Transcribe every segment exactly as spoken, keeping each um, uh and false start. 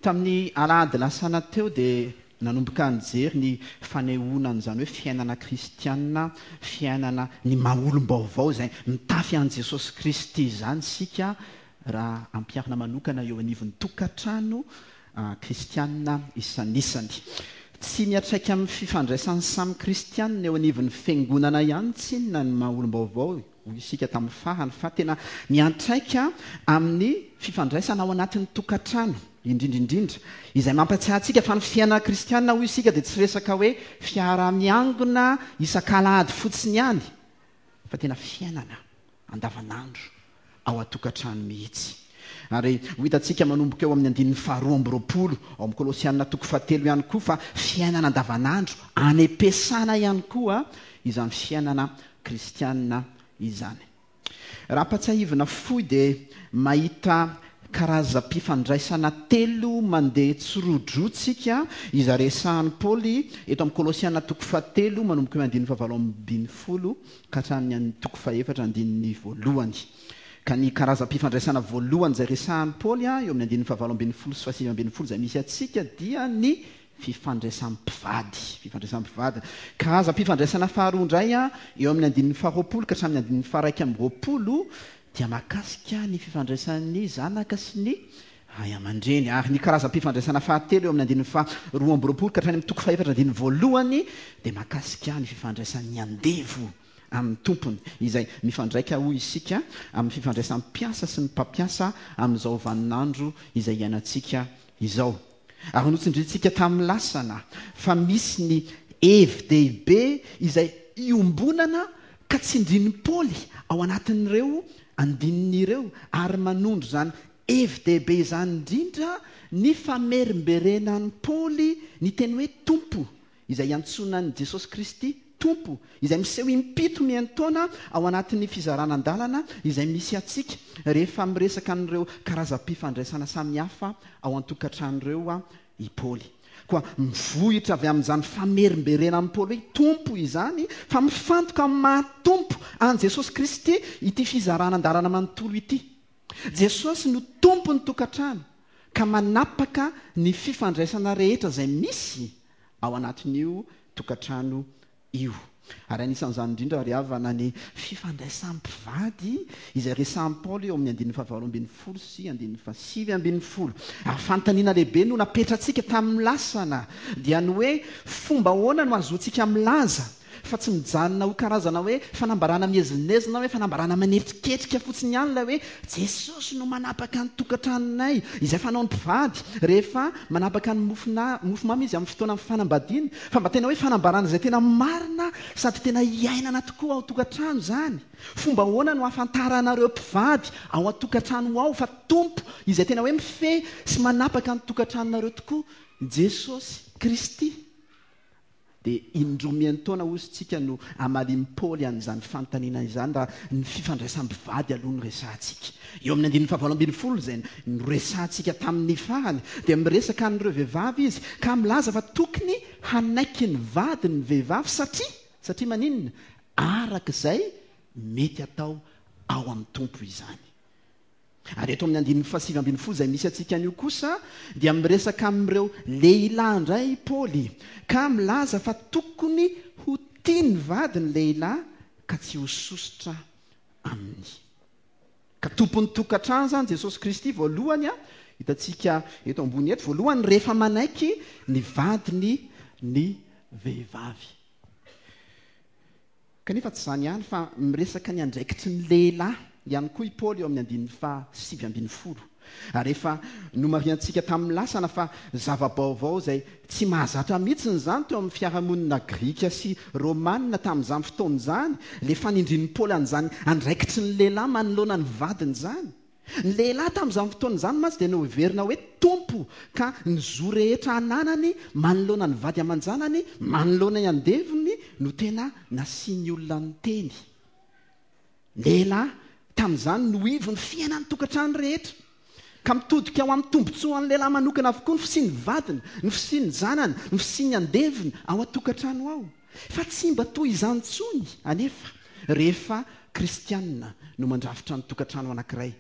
Tamin'ny alahady lasana teo dia nanomboka nijery ny fanehoana an'izany hoe fiainana kristianina, fiainana ny maha olom-baovao izay mitafy an'i Jesosy Kristy izany isika raha ampiharina manokana eo anivon'ny tokantrano kristianina isanisany. Tsy miantraika amin'ny fifandraisan'ny samy kristianina eo anivon'ny fiangonana ihany tsinona ny maha olom-baovao, hoy isika tamin'ny farany, fa tena miantraika amin'ny fifandraisana ao anatin'ny tokantrano indrindra indrindra, izay mampatsiahy antsika fa ny fiainana kristianina, hoy isika, dia tsy resaka hoe fiaraha-miangona isak'alahady fotsiny ihany, fa tena fiainana andavanandro ao an-tokantrano mihitsy. Ary ho hitantsika manomboka eo amin'ny andininy faharoa amby roapolo ao amin'ny Kolosiana toko fahatelo ihany koa fa fiainana andavanandro any am-piasana ihany koa izany fiainana kristianina izany. Raha ampatsiahivina fohy dia mahita karazam-pifandraisana telo mandeha tsirodroa tsika izay resahan'i Paoly eto amin'ny Kolosiana toko fahatelo manomboka eo andininy fahavalo ambin'ny folo ka hatramin'ny toko fahefatra andininy voalohany. Ka ny karazam-pifandraisana voalohany izay resahan'i Paoly eo amin'ny andininy fahavalo ambin'ny folo sy fahasivy ambin'ny folo izay misy antsika dia ny fifandraisan'ny mpivady. Fifandraisan'ny mpivady. Karazam-pifandraisana faharoa indray eo amin'ny andininy faharoapolo ka hatramin'ny andininy faharaika amby roapolo dia mahakasika ny fifandraisan'ny zanaka sy ny ray aman-dreny. Ary ny karazam-pifandraisana fahatelo eo amin'ny andininy faharoa amby roapolo ka hatrany amin'ny toko fahefatra andininy voalohany dia mahakasika ny fifandraisan'ny andevo amin'ny tompony, izay mifandraika, hoy isika, amin'ny fifandraisan'ny mpiasa sy ny mpampiasa amin'izao vaninandro izay iainantsika izao. Ary notsindrintsika tamin'ny lasana fa misy ny hevi-dehibe izay iombonana ka tsindrin'i Paoly ao anatin'ireo andininy ireo, ary manondro izany hevi-dehibe izany indrindra ny famerimberenan'i Paoly ny teny hoe Tompo, izay iantsoana an'i Jesosy Kristy Tompo, izay miseho impito miantaona ao anatin'ny fizarana an-dalana izay misy antsika rehefa miresaka an'ireo karazam-pifandraisana samihafa ao an-tokantrano ireo i Paoly. Koa mivohitra avy amin'izany famerimberenan'i Paoly hoe Tompo izany, fa mifantoka amin'ny maha Tompo an'i Jesosy Kristy ity fizarana an-dalana manontolo ity. Jesosy no Tompon'ny tokantrano ka manapaka ny fifandraisana rehetra izay misy ao anatin'io tokantrano io. Ary anisan'izany indrindra ry havana ny fifandraisan'ny mpivady izay resahan'i Paoly eo amin'ny andininy fahavalo ambin'ny folo sy andininy fahasivy ambin'ny folo. Ary fanontaniana lehibe no napetratsika tamin'ny lasana dia ny hoe fomba ahoana no ahazoantsika milaza fa tsy mijanona ho karazana hoe fanambarana miezinezina, hoe fanambarana manetriketrika fotsiny ihany ilay hoe Jesosy no manapaka ny tokantranonay, izay fanaon'ny mpivady rehefa manapaka ny mofona, mofomamy izy amin'ny fotoana fanambadiany, fa mba tena hoe fanambarana izay tena marina sady tena iainana tokoa ao tokantrano izany. Fomba ahoana no ahafantaranareo mpivady ao an-tokantrano ao fa Tompo izay tena hoe mifehy sy manapaka ny tokantranonareo tokoa Jesosy Kristy? Dia indroa miantaona hozy tsika no amalian'i Paoly an'izany fanontaniana izany raha ny fifandraisam-pivady aloha no resahantsika. Eo amin'ny andininy fahavalo ambin'ny folo izay noresahantsika tamin'ny farany dia miresaka an'ireo vehivavy izy ka milaza fa tokony hanaiky ny vady ny vehivavy satria, satria maninona? Araka izay mety atao ao amin'ny Tompo izany. Ary eto amin'ny andininy fahasivy ambin'ny folo izay misy antsika anio kosa dia miresaka amin'ireo lehilahy indray i Paoly ka milaza fa tokony ho tia ny vady ny lehilahy ka tsy ho sosotra aminy. Ka tompon'ny tokantrano izany Jesosy Kristy voalohany, hitantsika eto ambony eto, voalohany rehefa manaiky ny vadiny ny vehivavy. Kanefa tsy izany ihany fa miresaka ny andraikitry ny lehilahy ihany koa i Paoly eo amin'ny andininy fahasivy ambin'ny folo. Ary efa nomarihantsika tamin'ny lasana fa zava-baovao izay tsy mahazatra mihitsy izany teo amin'ny fiarahamonina grika sy romanina tamin'izany fotoana izany, ilay fanindrin'i Paoly an'izany andraikitry ny lehilahy manoloana ny vadiny izany. Ny lehilahy tamin'izany fotoana izany mantsy dia noheverina hoe tompo ka ny zo rehetra ananany manoloana ny vady aman-janany, manoloana ny andevony no tena nasian'ny olona ny teny. Lehilahy tamin'izany no ivon'ny fiainan'ny tokantrano rehetra. Ka mitodika ao amin'ny tombontsoan'ny lehilahy manokana avokoa ny fisian'ny vadiny, ny fisian'ny zanany, ny fisian'ny andevony ao an-tokantrano ao. Fa tsy mba toy izany intsony anefa rehefa kristianina no mandrafitra ny tokantrano anankiray.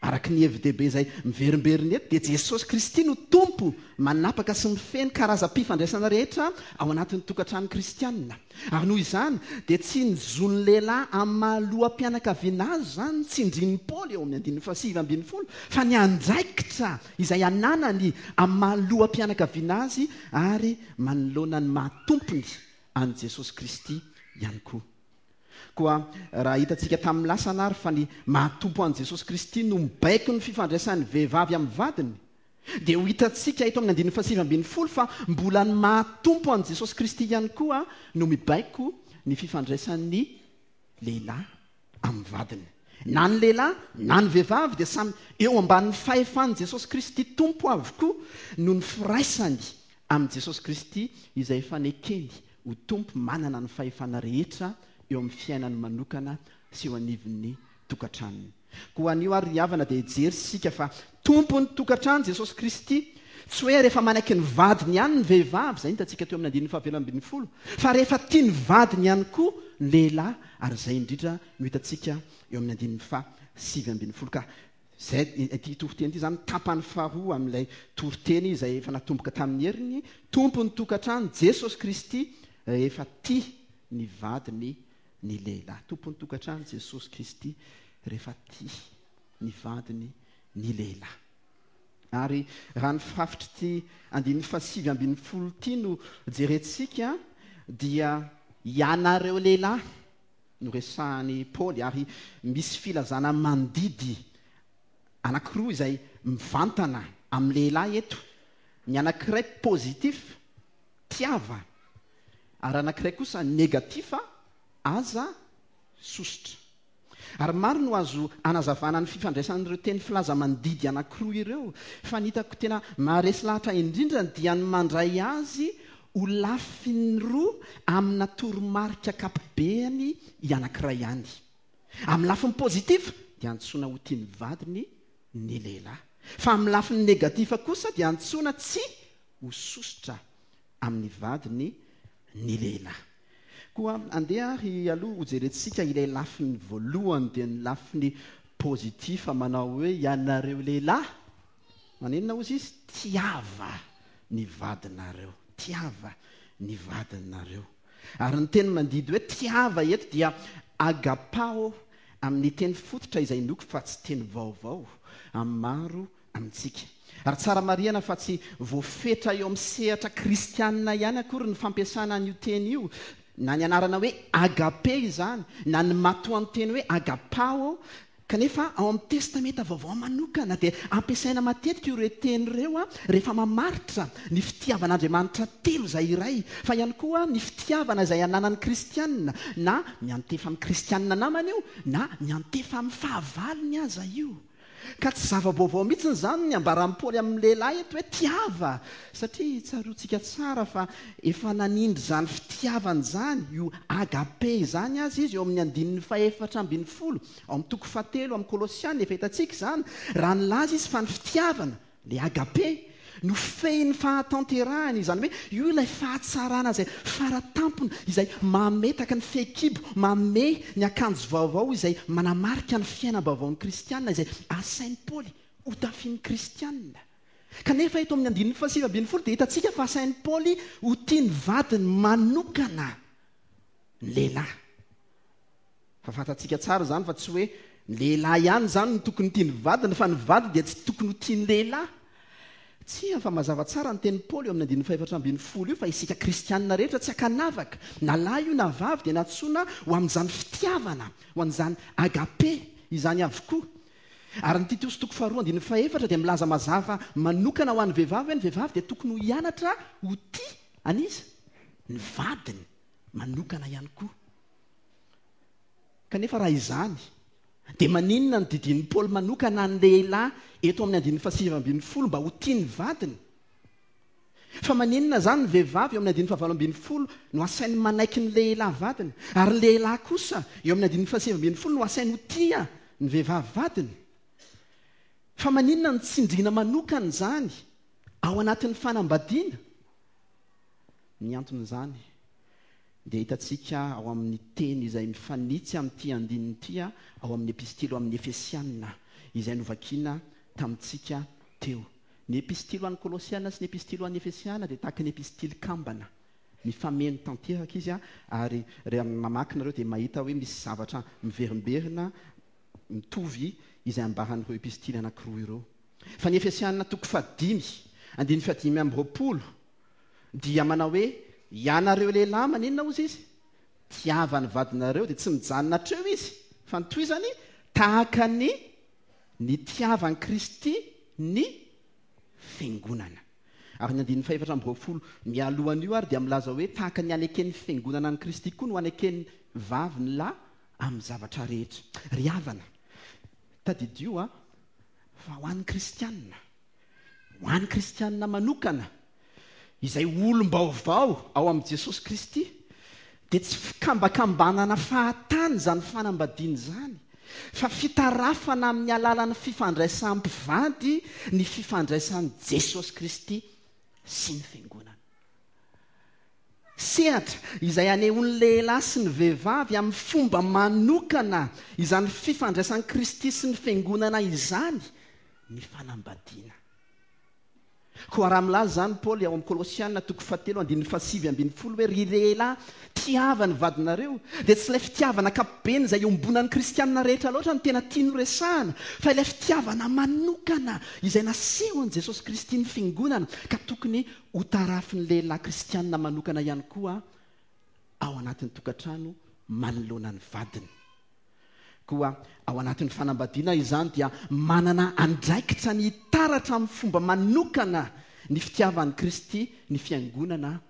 Araka ny hevi-dehibe izay miverimberina eto dia Jesosy Kristy no Tompo manapaka sy mifehy ny karazam-pifandraisana rehetra ao anatin'ny tokantrano kristianina. Ary noho izany dia tsy ny zon'ny lehilahy amin'ny maha loham-pianakaviana azy izany no tsindrin'i Paoly eo amin'ny andininy fahasivy ambin'ny folo, fa ny andraikitra izay ananany amin'ny maha loham-pianakaviana azy ary manoloana ny maha tompony an'i Jesosy Kristy ihany koa. Koa raha hitantsika tamin'ny lasana ary fa ny maha-Tompo an'i Jesosy Kristy no mibaiko ny fifandraisan'ny vehivavy amin'ny vadiny, dia ho hitantsika eto amin'ny andininy fahasivy ambin'ny folo fa mbola ny maha-Tompo an'i Jesosy Kristy ihany koa no mibaiko ny fifandraisan'ny lehilahy amin'ny vadiny. Na ny lehilahy na ny vehivavy dia samy eo ambanin'ny fahefan'i Jesosy Kristy Tompo avokoa noho ny firaisany amin'i Jesosy Kristy izay efa nekeny ho Tompo manana ny fahefana rehetra eo amin'ny fiainany manokana sy eo anivon'ny tokantranony. Koa anio ary ry havana dia hijery isika fa Tompon'ny tokantrano Jesosy Kristy. Tsy hoe rehefa manaiky ny vadiny ihany ny vehivavy, izay hitantsika teo amin'ny andininy fahavelo ambin'ny folo, fa rehefa tia ny vadiny ihany koa ny lehilahy, ary izay indrindra no hitantsika eo amin'ny andininy fahasivy ambin'ny folo. Ka izay ity toriteny ity izany tapany faharoa amin'ilay toriteny izay efa natomboka tamin'ny heriny, Tompon'ny tokantrano Jesosy Kristy rehefa tia ny vadiny ny lehilahy. Tompon'ny tokantrano Jesosy Kristy rehefa tia ny vadiny ny lehilahy. Ary raha ny firafitr'ity andininy fahasivy ambin'ny folo ity no jerentsika dia ianareo lehilahy no resahan'i Paoly, ary misy filazana mandidy anankiroa izay mivantana amin'ny lehilahy eto. Ny anankiray positif, tiava, ary anankiray kosa négatif, aza sosotra. Ary maro no azo anazavana ny fifandraisan'ireo teny filaza mandidy anankiroa ireo, fa ny hitako tena maharesy lahatra indrindra dia ny mandray azy ho lafiny roa amina toromarika ankapobeny anankiray ihany. Amin'ny lafiny positif dia antsoina ho tia ny vadiny ny lehilahy, fa amin'ny lafiny négatif kosa dia antsoina tsy ho sosotra amin'ny vadiny ny lehilahy. Koa andeha ary aloha hojerentsika ilay lafiny voalohany, dia ny lafiny positif manao hoe ianareo lehilahy, maninona ozy izy? Tiava ny vadinareo, tiava ny vadinareo. Ary ny teny mandidy hoe tiava eto dia agapao amin'ny teny fototra izay noko fa tsy teny vaovao amin'ny maro amintsika. Ary tsara marihana fa tsy voafetra eo amin'ny sehatra kristianina ihany akory ny fampiasana an'io teny io, na ny anarana hoe agape izany, na ny matoanteny hoe agapao, kanefa ao amin'ny testamenta vaovao manokana dia ampiasaina matetika ireo teny ireo a rehefa mamaritra ny fitiavan'Andriamanitra telo izay iray, fa ihany koa ny fitiavana izay ananan'ny kristianina, na miantefa amin'ny kristianina namany io, na miantefa amin'ny fahavalony aza io. Ka tsy zava-baovao mihitsy izany ny ambaran'i Paoly amin'ny lehilahy eto hoe tiava, satria tsaroantsika tsara fa efa nanindry izany fitiavana izany, io agape izany azy izy eo amin'ny andininy fahefatra ambin'ny folo, ao amin'ny toko fahatelo amin'ny Kolosiana, efa hitantsika izany, raha nilaza izy fa ny fitiavana, le agape, no fehin'ny fahatanterahany, izany hoe io ilay fahatsarana izay faratampony, izay mametaka ny fehikibo, mamehy ny akanjo vaovao izay manamarika ny fiainam-baovaon'ny kristianina, izay asain'i Paoly ho tafian'ny kristianina. Kanefa eto amin'ny andininy fahasivy ambin'ny folo dia hitantsika fa asain'i Paoly ho tia ny vadiny manokana ny lehilahy. Fa fantatsika tsara izany fa tsy hoe ny lehilahy ihany izany no tokony tia ny vadiny, fa ny vady dia tsy tokony ho tia ny lehilahy. Tsia, fa mazava tsara ny tenin'i Paoly eo amin'ny andininy fahefatra ambin'ny folo io fa isika kristianina rehetra tsy ankanavaka, na lahy io na vavy, dia nantsoina ho amin'izany fitiavana, ho an'izany agape izany avokoa. Ary ny Titosy toko faharoa andininy fahefatra dia milaza mazava manokana ho an'ny vehivavy hoe ny vehivavy dia tokony ho hianatra ho tia an'iza? Ny vadiny manokana ihany koa. Kanefa raha izany, dia maninona ny didian'i Paoly manokana ny lehilahy eto amin'ny andininy fahasivy ambin'ny folo mba ho tia ny vadiny? Fa maninona izany ny vehivavy eo amin'ny andininy fahavalo ambin'ny folo no asainy manaiky ny lehilahy vadiny, ary ny lehilahy kosa eo amin'ny andininy fahasivy ambin'ny folo no asainy ho tia ny vehivavy vadiny? Fa maninona ny tsindriana manokana izany ao anatin'ny fanambadiana? Ny anton'izany dia hitantsika ao amin'ny teny izay mifanitsy amin'ity andininy ity ao amin'ny epistily ho amin'ny Efesiana izay novakiana tamintsika teo. Ny epistily ho an'ny Kolosiana sy ny epistily ho an'ny Efesiana dia tahaka ny epistily kambana. Mifameno tanteraka izy, ary rehefa mamaky nareo dia mahita hoe misy zavatra miverimberina mitovy izay ambaran'ireo epistily anankiroa ireo. Fa ny Efesiana toko fahadimy, andininy fahadimy amby roapolo dia manao hoe ianareo lehilahy maninona ozy izy? Tiava ny vadinareo, dia tsy mijanona hatreo izy, fa ny tohizany tahaka ny nitiavan'i Kristy ny fiangonana. Ary ny andininy fahefatra amby roapolo mialohan'io ary dia milaza hoe tahaka ny aneken'ny fiangonana an'i Kristy koa no aneken'ny vavy ny lahy amin'ny zavatra rehetra. Ry havana, tadidio a fa ho an'ny kristianina, ho an'ny kristianina manokana izay olom-baovao ao amin'i Jesosy Kristy, dia tsy fikambakambanana fahatany izany fanambadiana izany, fa fitarafana amin'ny alalan'ny fifandraisam-pivady ny fifandraisan'i Jesosy Kristy sy ny fiangonana. Sehatra izay anehoan'ny lehilahy sy ny vehivavy amin'ny fomba manokana izany fifandraisan'i Kristy sy ny fiangonana izany ny fanambadiana. Koa raha milaza izany Paoly ao amin'ny Kolosiana toko fahatelo andininy fahasivy ambin'ny folo hoe ry lehilahy tiava ny vadinareo, dia tsy ilay fitiavana ankapobeny izay iombonan'ny kristianina rehetra loatra no tena tiany horesahana, fa ilay fitiavana manokana izay nasehon'i Jesosy Kristy ny fiangonana, ka tokony ho tarafin'ny lehilahy kristianina manokana ihany koa ao anatin'ny tokantrano manoloana ny vadiny. Koa ao anatin'ny fanambadiana izany dia manana andraikitra ny hitaratra amin'ny fomba manokana ny fitiavan'i Kristy ny fiangonana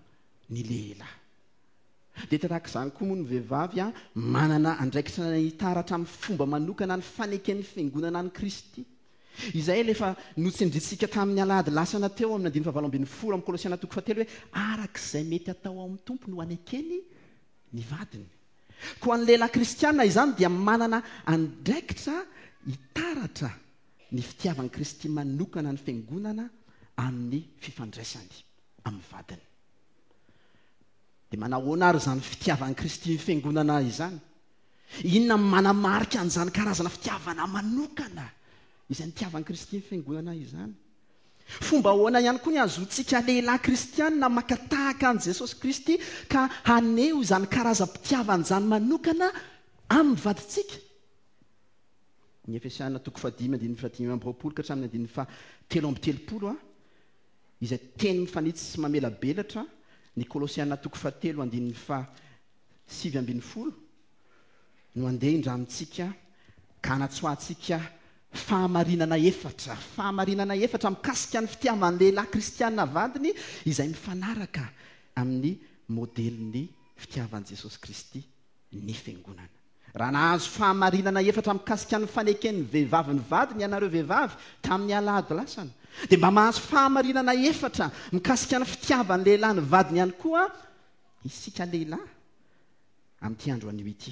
ny lehilahy. Dia tahaka izany koa moa ny vehivavy a manana andraikitra ny hitaratra amin'ny fomba manokana ny faneken'ny fiangonana an'i Kristy. Izay ilay efa notsindrintsika tamin'ny alahady lasana teo amin'ny andininy fahavalo ambin'ny folo amin'ny Kolosiana toko fahatelo hoe araka izay mety atao ao amin'ny Tompo no anekeny ny vadiny. Koa ny lehilahy kristiana izany dia manana andraikitra hitaratra ny fitiavan'i Kristy manokana ny fiangonana amin'ny fifandraisany amin'ny vadiny. Dia manahoana ary izany fitiavan'i Kristy ny fiangonana izany? Inona no manamarika an'izany karazana fitiavana manokana izay nitiavan'i Kristy ny fiangonana izany? Fomba ahoana ihany koa ny ahazoantsika lehilahy kristianina maka tahaka an'i Jesosy Kristy ka haneho izany karazam-pitiavana izany manokana amin'ny vadintsika? Ny Efesiana toko fahadimy andininy fahadimy amby roapolo ka hatramin'ny andininy fahatelo amby telopolo a, izay teny mifanitsy sy mamelabelatra ny Kolosiana toko fahatelo andininy fahasivy ambin'ny folo no andeha indramintsika ka hanatsoahantsika fahamarinana efatra, fahamarinana efatra mikasika ny fitiavan'ny lehilahy kristiana vadiny izay mifanaraka amin'ny modelin'ny fitiavan'i Jesosy Kristy ny fiangonana. Raha nahazo fahamarinana efatra mikasika ny faneken'ny vehivavy ny vadiny ianareo vehivavy tamin'ny alahady lasana, dia mba mahazo fahamarinana efatra mikasika ny fitiavan'ny lehilahy ny vadiny ihany koa isika lehilahy amin'ity andro anio ity.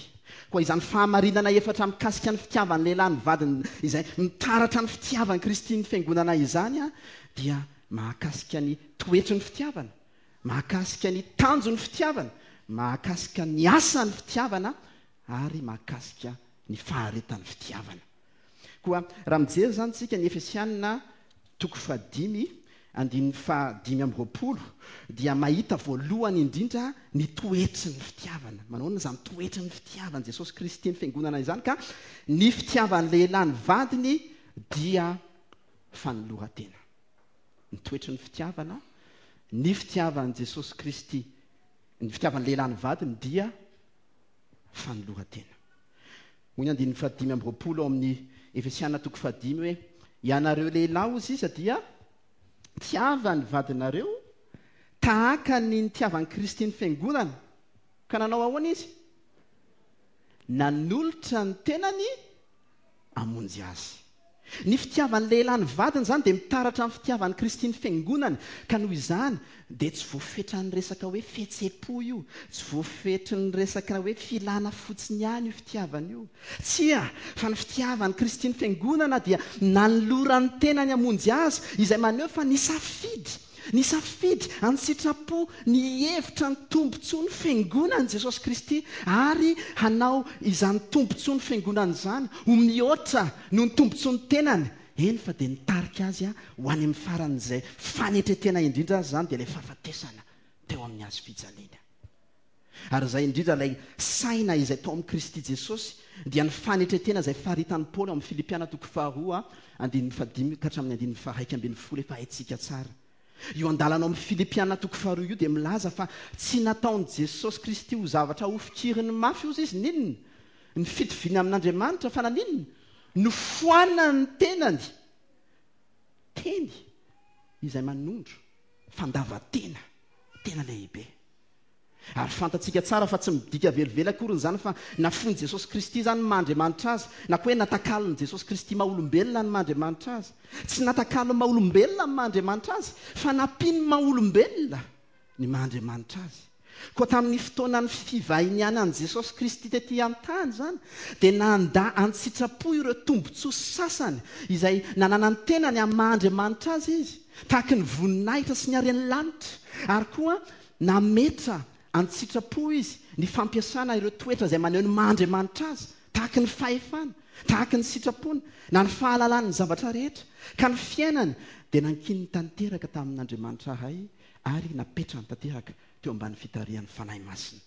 Koa izany fahamarinana efatra mikasika ny fitiavan'ny lehilahy ny vadiny izay mitaratra ny fitiavan'i Kristy ny fiangonana izany a, dia mahakasika ny toetry ny fitiavana, mahakasika ny tanjon'ny fitiavana, mahakasika ny asan'ny fitiavana ary mahakasika ny faharetan'ny fitiavana. Koa raha mijery izany tsika ny Efesiana toko fahadimy andininy fahadimy amby roapolo dia mahita voalohany indrindra ny toetry ny fitiavana. Manahoana izany toetry ny fitiavan'i Jesosy Kristy ny fiangonana izany? Ka ny fitiavan'ny lehilahy ny vadiny dia fanoloran-tena. Ny toetry ny fitiavana, ny fitiavan'i Jesosy Kristy, ny fitiavan'ny lehilahy ny vadiny dia fanoloran-tena. Hoy ny andininy fahadimy amby roapolo ao amin'ny Efesiana toko fahadimy hoe ianareo lehilahy ozy iza dia tiava ny vadinareo tahaka ny nitiavan'i Kristy ny fiangonana. Ka nanao ahoana izy? Nanolotra ny tenany hamonjy azy. Ny fitiavan'ny lehilahy ny vadiny izany dia mitaratra amin'ny fitiavan'i Kristy ny fiangonany, ka noho izany dia tsy voafetran'ny resaka hoe fihetseham-po io, tsy voafetran'ny resaka hoe filana fotsiny ihany io fitiavana io. Tsia, fa ny fitiavan'i Kristy ny fiangonana dia nanoloran'ny tenany hamonjy azy, izay maneho fa nisafidy Nisafidy an-tsitrapo ny hihevitra ny tombontsoa ny fiangonan'i Jesosy Kristy ary hanao izany tombontsoa ny fiangonana izany ho mihoatra noho ny tombontsoa ny tenany. Eny fa dia nitarika azy ho any amin'ny faran'izay fanetren-tena indrindra azy izany, dia ilay fahafatesana teo amin'ny hazo fijaliana. Ary izay indrindra ilay saina izay tao amin'i Kristy Jesosy, dia ny fanetren-tena izay faritan'i Paoly ao amin'ny Filipiana toko faharoa andininy fahadimy ka hatramin'ny andininy faharaika ambin'ny folo efa haintsika tsara. Io andalana ao amin'ny Filipiana toko faharoa io dia milaza fa tsy nataon'i Jesosy Kristy ho zavatra hofikiriny mafy ozy izy n'inona ny fitoviany amin'Andriamanitra, fa naninona? Nofoanany tenany, teny izay manondro fandavan-tena tena lehibe. Ary fantatsika tsara fa tsy midika velively akory izany fa nafoin'i Jesosy Kristy izany ny maha-Andriamanitra azy, na koa hoe natakalon'i Jesosy Kristy maha-olombelona ny maha-Andriamanitra azy. Tsy natakalon'ny maha-olombelona ny maha-Andriamanitra azy, fa nampian'ny maha-olombelona ny maha-Andriamanitra azy. Koa tamin'ny fotoanan'ny fivahinianan'i Jesosy Kristy tety an-tany izany, dia nandà an-tsitrapo ireo tombontsoa sasany izay nananany tenany amin'ny maha-Andriamanitra azy izy, tahaka ny voninahitra sy ny haren'ny lanitra, ary koa nametra an-tsitrapo izy ny fampiasana ireo toetra izay maneho ny maha-Andriamanitra azy, tahaka ny fahefana, tahaka ny sitrapony, na ny fahalalany ny zavatra rehetra, ka ny fiainany dia nankininy tanteraka tamin'Andriamanitra Ray ary napetrany tanteraka teo ambany fitarihan'ny Fanahy Masina.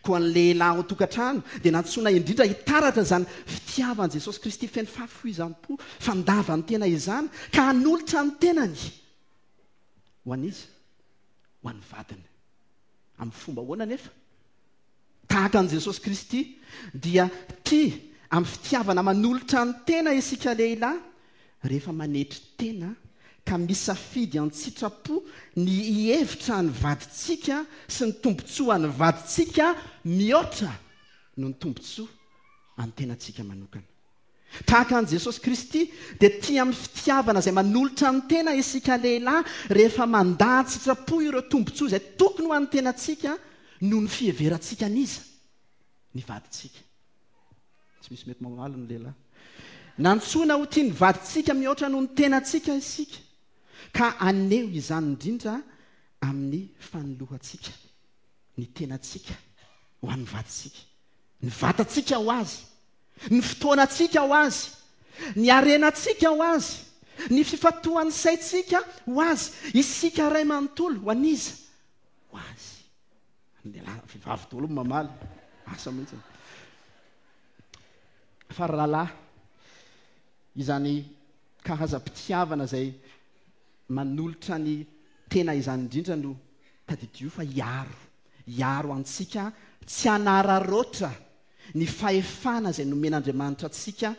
Koa ny lehilahy ao an-tokantrano dia nantsoina indrindra hitaratra izany fitiavan'i Jesosy Kristy feno fahafoizam-po, fandavan-tena izany, ka hanolotra ny tenany ho an'iza? Ho an'ny vadiny. Amin'ny fomba ahoana nefa? Tahaka an'i Jesosy Kristy dia tia amin'ny fitiavana manolotra ny tena isika lehilahy rehefa manetry tena ka misafidy an-tsitrapo ny hihevitra ny vadintsika sy ny tombontsoan'ny vadintsika mihoatra noho ny tombontsoa an'ny tenantsika manokana. Tahaka an'i Jesosy Kristy dia tia amin'ny fitiavana izay manolotra ny tena isika lehilahy rehefa mandà an-tsitrapo ireo tombontsoa izay tokony ho an'ny tenantsika noho ny fiheverantsika an'iza? Ny vadintsika. Tsy misy mety mamaly ny lehilahy. Nantsoina ho tia ny vadintsika mihoatra noho ny tenantsika isika, ka haneho izany indrindra amin'ny fanolorantsika ny tenantsika ho an'ny vadintsika, ny vatantsika ho azy, ny fotoanantsika ho azy, ny harenantsika ho azy, ny fifantohan'ny saintsika ho azy, isika ray manontolo ho an'iza? Ho azy. Ny lehilahy, vehivavy daholo no mamaly, asa mihitsy. Fa ry rahalahy, izany karazam-pitiavana izay manolotra ny tena izany indrindra no tadidio fa hiaro, hiaro antsika tsy hanararaotra ny fahefana izay nomen'Andriamanitra antsika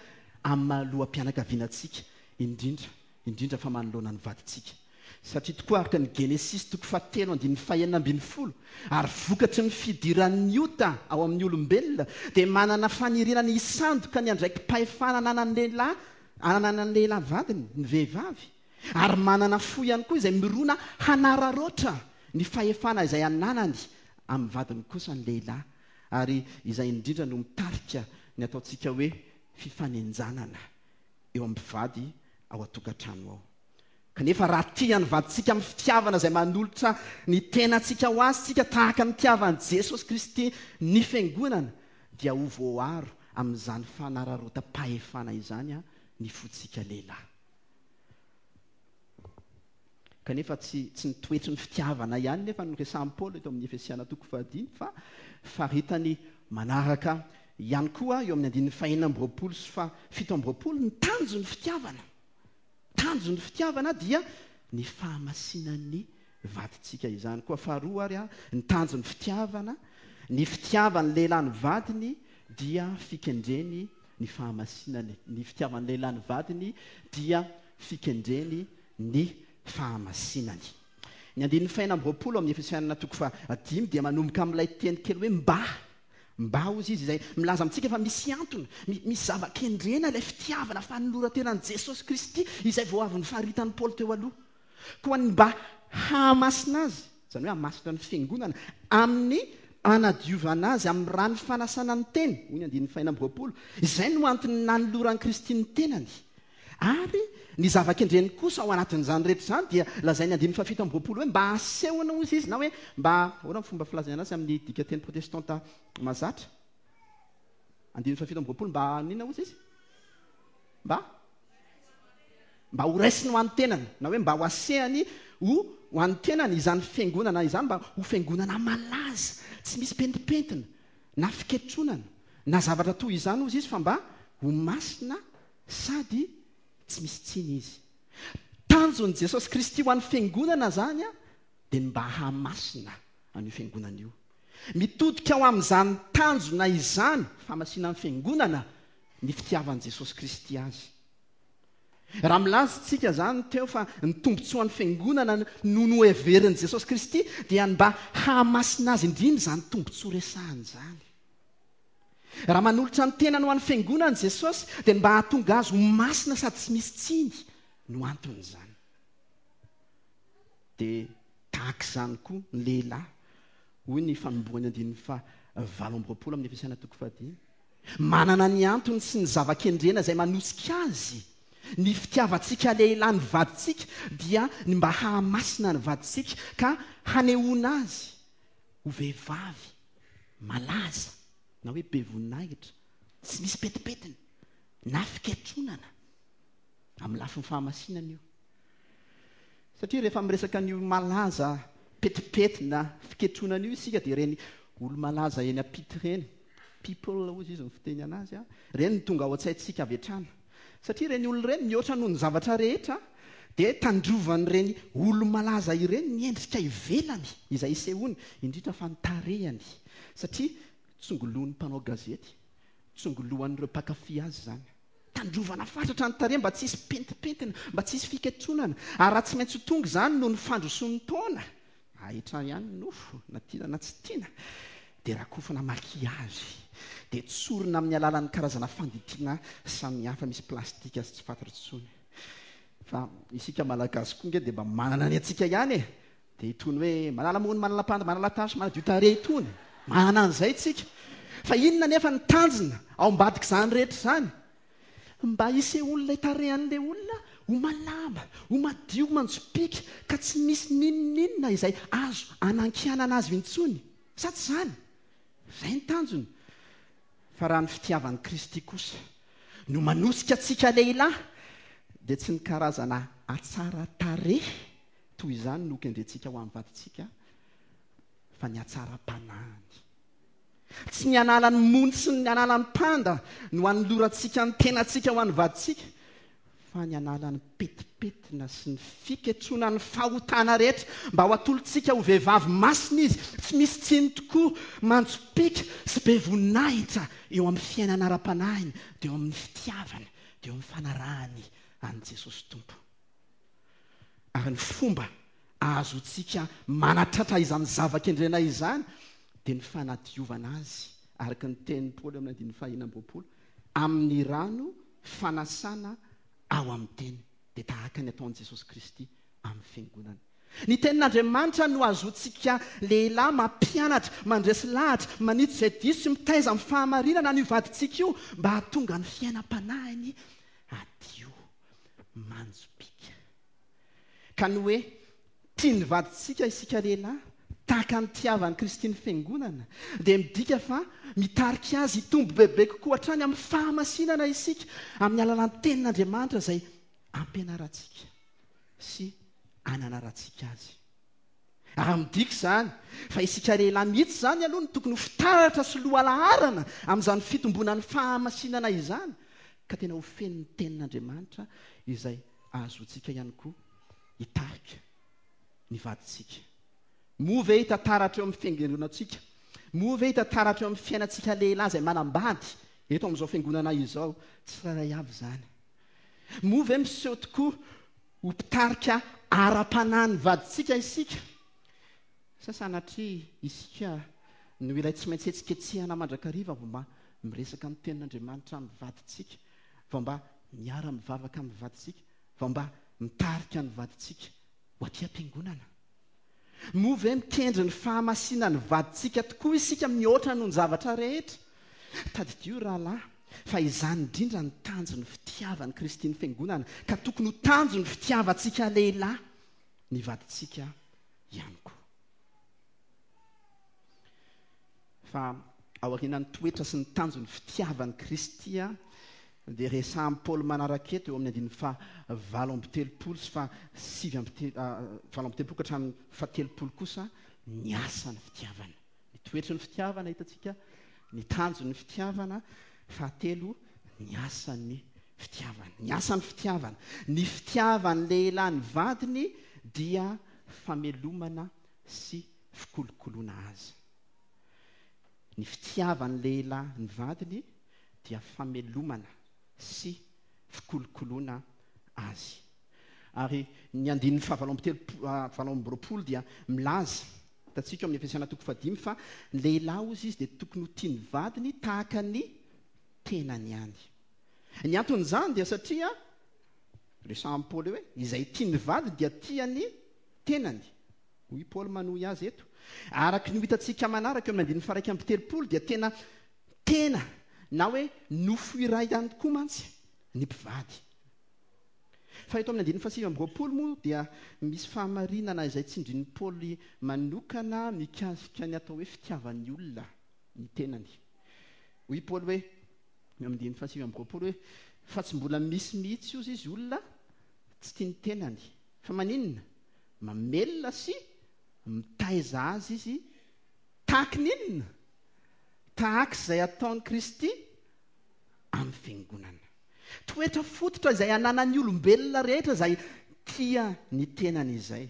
amin'ny maha loham-pianakaviana antsika, indrindra indrindra fa manoloana ny vadintsika. Satria tokoa araka ny Genesisy toko fahatelo andininy fahenina ambin'ny folo, ary vokatry ny fidiran'ny ota ao amin'ny olombelona dia manana faniriana ny hisandoka ny andraiki-pahefana ananan'ny lehilahy, ananan'ny lehilahy vadiny, ny vehivavy, ary manana fo ihany koa izay mirona hanararaotra ny fahefana izay ananany amin'ny vadiny kosa ny lehilahy, ary izay indrindra no mitarika ny ataontsika hoe fifanenjanana eo amin'ny mpivady ao an-tokantrano ao. Kanefa raha tia ny vadintsika amin'ny fitiavana izay manolotra ny tenantsika ho azy tsika tahaka ny fitiavan'i Jesosy Kristy ny fiangonana, dia ho voaaro amin'izany fanararaotam-pahefana izany ny fontsika lehilahy. Kanefa tsy tsy ny toetry ny fitiavana ihany nefa no resahin'i Paoly eto amin'ny Efesiana toko fahadimy, fa faritany manaraka ihany koa eo amin'ny andininy fahenina amby roapolo sy fahafito amby roapolo ny tanjon'ny fitiavana. Tanjon'ny fitiavana dia ny fahamasinan'ny vadintsika izany. Koa faharoa ary ny tanjon'ny fitiavana, ny fitiavan'ny lehilahy ny vadiny dia fikendreny ny fahamasinany. Ny fitiavan'ny lehilahy ny vadiny dia fikendreny ny fahamasinany. Ny andininy fahenina amby roapolo amin'ny Efesianina toko fahadimy dia manomboka amin'ilay teny kely hoe mba. Mba hozy izy izay milaza amintsika fa misy antony, misy zava-kendrena ilay fitiavana fanoloran-tenan'i Jesosy Kristy izay vao avy nofaritan'i Paoly teo aloha. Koa ny mba hahamasina azy, izany hoe hahamasina ny fiangonana, amin'ny anadiovana azy amin'ny rano fanasana ny teny, hoy ny andininy fahenina amby roapolo, izay no antony nanoloran'i Kristy ny tenany, Ary ny zava-kendreny kosa ao anatin'izany rehetra izany dia lazain'ny andininy fahafito amby roapolo hoe mba hasehona hozy izy, na hoe mba ahoana ny fomba filazana azy amin'ny dikanteny protestanta mazatra. Andininy fahafito amby roapolo, mba inona hozy izy? Mba mba ho raisiny ho an'ny tenany, na hoe mba ho asehany ho ho an'ny tenany izany fiangonana izany, mba ho fiangonana malaza, tsy misy pentimpentina na fiketronana na zavatra toy izany hozy izy, fa mba ho masina sady tsy misy tsiny izy. Tanjon'i Jesosy Kristy ho an'ny fiangonana zany a dia ny mba hahamasina an'io fiangonana io. Mitodika ao amin'izany tanjona izany, fahamasinan'ny fiangonana, ny fitiavan'i Jesosy Kristy azy. Raha milaza tsika zany teo fa ny tombontsoan'ny fiangonana no noheverin'i Jesosy Kristy, dia ny mba hahamasina azy indrindra izany tombontsoa resahany izany. Raha manolotra ny tenany ho an'ny fiangonana Jesosy, dia ny mba hahatonga azy ho masina sady tsy misy tsiny no anton'izany. Dia tahaka izany koa ny lehilahy, hoy ny fanombohany andininy faha valo amby roapolo amin'ny Efesiana toko fahadimy. Manana ny antony sy ny zava-kendrena izay manosika azy. Ny fitiavantsika lehilahy ny vadintsika dia ny mba hahamasina ny vadintsika ka hanehoana azy ho vehivavy malaza na hoe be voninahitra, tsy misy pentimpentina na fiketronana amin'ny lafiny fahamasinana io. Satria rehefa miresaka an'io malaza pentimpentina fiketronana io isika, dia ireny olo-malaza eny am-pity ireny, people hozy izy ny fiteny anazy, a, ireny no tonga ao an-tsaintsika avy hatrany. Satria ireny olona ireny mihoatra noho ny zavatra rehetra, dia tandrovan'ireny olo-malaza ireny ny endrika ivelany izay isehoany, indrindra fa ny tarehany. Satria tsongolohan'ny mpanao gazety, tsongolohan'ireo mpankafy azy izany. Tandrovana fatratra ny tarehy mba tsy hisy pentimpentina, mba tsy hisy fiketronana. Ary raha tsy maintsy ho tonga izany noho ny fandrosoan'ny taona, ahitra ihany ny nofo, na tiana na tsy tiana, dia rakofana maquillage, dia tsorina amin'ny alalan'ny karazana fandidiana samihafa misy plastika sy tsy fantatra intsony. Fa isika malagasy koa nge dia mba manana ny antsika ihany e. Dia itony hoe manala mony, manala panda, manala tasy, manadio tarehy itony. Manana an'izay tsika. Fa inona nefa ny tanjona ao ambadik'izany rehetra izany? Mba hisehoan'ilay tarehan'ilay olona ho malama, ho madio, manjopiaka, ka tsy misy n'inon'inona izay azo anankianana azy intsony. Sa tsy izany? Izay ny tanjona. Fa raha ny fitiavan'i Kristy kosa no manosika antsika lehilahy, dia tsy ny karazana hatsara tarehy toy izany no kendrentsika ho amin'ny vadintsika, fa ny hatsaram-panahiny. Tsy ny analan'ny mony sy ny analan'ny panda no anolorantsika ny tenantsika ho an'ny vadintsika, fa ny analan'ny petipetina sy ny fiketronan'ny fahotana rehetra mba ho atolotsika ho vehivavy masina izy, tsy misy tsiny tokoa, manjopiaka sy be voninahitra eo amin'ny fiainana ara-panahiny, dia eo amin'ny fitiavana, dia eo amin'ny fanarahany an'i Jesosy Tompo. Ary ny fomba ahazoantsika manatratra izany zava-kendrena izany dia ny fanadiovana azy, araka ny tenin'i Paoly amin'ny andininy fahenina amby roapolo, amin'ny rano fanasana ao amin'ny teny, dia tahaka ny ataon'i Jesosy Kristy amin'ny fiangonana. Ny tenin'Andriamanitra no ahazoantsika lehilahy mampianatra, mandresy lahatra, manitsy izay diso sy mitaiza amin'ny fahamarinana an'io vadintsika io mba hahatonga ny fiainam-panahiny hadio, manjopiaka. Ka ny hoe tia ny vadintsika isika lehilahy, tahaka ny tiavan'i Kristy ny fiangonana, dia midika fa mitarika azy hitombo bebe kokoa hatrany amin'ny fahamasinana isika amin'ny alalan'ny tenin'Andriamanitra izay ampianarantsika sy ananarantsika azy. Ary midika izany fa isika lehilahy mihitsy izany aloha no tokony ho fitaratra sy lohalaharana amin'izany fitomboana ny fahamasinana izany, ka tena ho feno ny tenin'Andriamanitra izay ahazoantsika ihany koa hitarika ny vadintsika. Moa ve hita taratra eo amin'ny fiangonantsika? Moa ve hita taratra eo amin'ny fiainantsika lehilahy izay manambady eto amin'izao fiangonana izao tsirairay avy izany? Moa ve miseho tokoa ho mpitarika ara-panahy ny vadintsika isika? Sa sanatria isika no ilay tsy maintsy hetsiketsehana mandrakariva vao mba miresaka ny tenin'Andriamanitra amin'ny vadintsika, vao mba miara-mivavaka amin'ny vadintsika, vao mba mitarika ny vadintsika ho aty am-piangonana? Moa ve mikendry ny fahamasinan'ny vadintsika tokoa isika mihoatra noho ny zavatra rehetra? Tadidio rahalahy Fa izany indrindra ny tanjon'ny fitiavan'i Kristy ny fiangonana, ka tokony ho tanjon'ny fitiavantsika lehilahy ny vadintsika ihany koa. Fa aorianan'ny toetra sy ny tanjon'ny fitiavan'i Kristy dia resahan'i Paoly manaraka eto eo amin'ny andininy faha valo amby telopolo sy faha sivy amby te- valo amby telopolo ka hatramin'ny faha telopolo kosa ny asan'ny fitiavana. Ny toetry ny fitiavana hitantsika, ny tanjon'ny fitiavana, fahatelo ny asan'ny fitiavana. Ny asan'ny fitiavana. Ny fitiavan'ny lehilahy ny vadiny dia famelomana sy fikolokoloana azy. Ny fitiavan'ny lehilahy ny vadiny dia famelomana sy fikolokoloana azy. Ary ny andininy fahavalo amby telopolo, valo amby roapolo dia milaza, hitantsika eo amin'ny Efesiana toko fahadimy, fa ny lehilahy hozy izy dia tokony ho tia ny vadiny tahaka ny tenany ihany. Ny anton'izany dia satria resahan'i Paoly hoe izay tia ny vadiny dia tia ny tenany. Hoy Paoly manohy azy eto. Araka ny ho hitantsika manaraka eo amin'ny andininy faha-iraika amby telopolo dia tena tena na hoe nofo iray ihany koa mantsy ny mpivady. Fa eto amin'ny andininy fahasivy amby roapolo moa dia misy fahamarinana izay tsindrin'i Paoly manokana mikasika ny atao hoe fitiavan'ny olona ny tenany. Hoy Paoly hoe, eo amin'ny andininy fahasivy amby roapolo hoe, fa tsy mbola misy mihitsy ozy izy olona tsy tia ny tenany. Fa maninona? Mamelona sy mitaiza azy izy tahaky ny inona? Tahaka izay ataon'i Kristy amin'ny fiangonana. Toetra fototra izay ananan'ny olombelona rehetra izay tia ny tenany izay.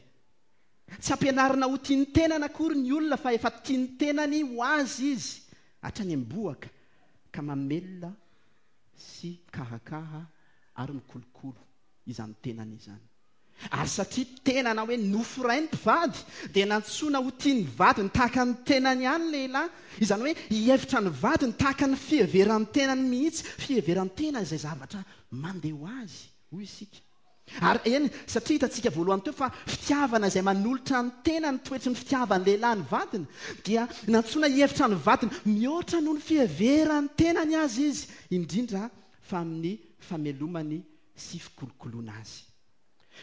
Tsy ampianarina ho tia ny tenany akory ny olona fa efa tia ny tenany ho azy izy hatrany am-bohoka ka mamelona sy mikarakara ary mikolokolo izany tenany izany. Ary satria tena na hoe nofo iray ny mpivady dia nantsoina ho tia ny vadiny tahaka ny tenany ihany lehilahy. Izany hoe hihevitra ny vadiny tahaka ny fiheveran'ny tenany mihitsy, fiheveran'ny tena izay zavatra mandeha ho azy, hoy isika. Ary eny, satria hitantsika voalohany teo fa fitiavana izay manolotra ny tena ny toetry ny fitiavan'ny lehilahy ny vadiny, dia nantsoina hihevitra ny vadiny mihoatra noho ny fiheveran'ny tenany azy izy, indrindra fa amin'ny famelomany sy fikolokoloana azy.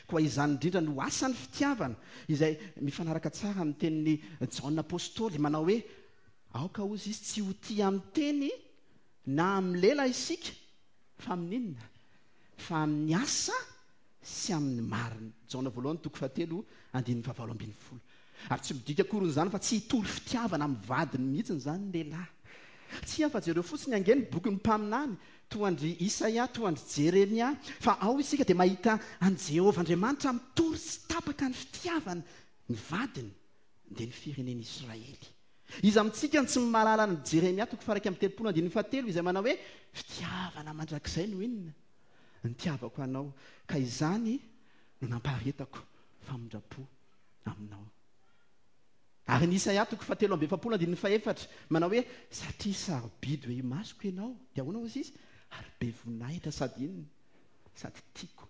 Koa izany indrindra no asan'ny fitiavana, izay mifanaraka tsara amin'ny tenin'i Jaona Apostoly, manao hoe, aoka hozy izy tsy ho tia amin'ny teny na amin'ny lela isika, fa amin'inona? Fa amin'ny asa sy amin'ny marina. Jaona voalohany toko fahatelo andininy fahavalo ambin'ny folo. Ary tsy midika akory izany fa tsy hitory fitiavana amin'ny vadiny mihitsy izany ny lehilahy. Tsia, fa jereo fotsiny ange ny bokin'ny mpaminany, toa an-dry Isaia, toa an-dry Jeremia, fa ao isika dia mahita an'i Jehovah Andriamanitra mitory tsy tapaka ny fitiavany ny vadiny, dia ny firenen'Israely. Iza amintsika no tsy mahalala an'i Jeremia toko faha-iraika amby telopolo andininy fahatelo izay manao hoe, fitiavana mandrakizay no inona? Nitiavako anao, ka izany no nampaharetako famindram-po aminao. Ary ny Isaia toko fahatelo amby efapolo andininy fahefatra manao hoe, satria sarobidy eo imasoko ianao, dia ahoana hozy izy? Ary be voninahitra sady inona? Sady tiako.